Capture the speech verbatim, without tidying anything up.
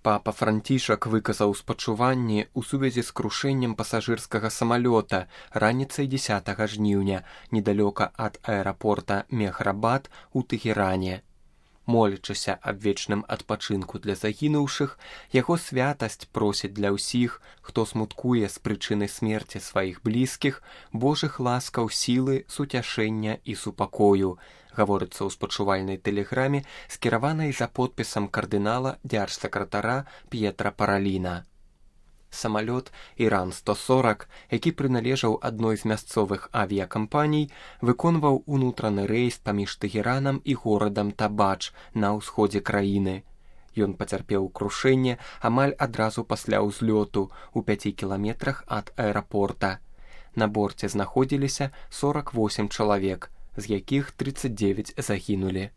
Папа Францішак выказаў спачуванні ў сувязі з крушэннем пасажырскага самалёта раніцай дзесятага жніўня недалёка ад аэрапорта Мехрабад у Тэгеране. Молячыся аб вечным адпачынку для загінуўшых, яго святасць просіць для ўсіх, хто смуткуе з прычыны смерці сваіх блізкіх, Божых ласкаў, сілы, суцяшэння і супакою, гаворыцца ў спачувальнай тэлеграме, скіраванай за подпісам кардынала дзяржсакратара П'етра Параліна. Самалёт Іран сто сорак, які прыналежаў адной з мясцовых авіякампаній, выконваў унутраны рэйс паміж Тэгеранам і горадам Табач на ўсходзе краіны. Ён пацярпеў крушэнне амаль адразу пасля ўзлёту ў пяці кіламетрах ад аэрапорта. На борце знаходзіліся сорак восем чалавек, з якіх трыццаць дзевяць загінулі.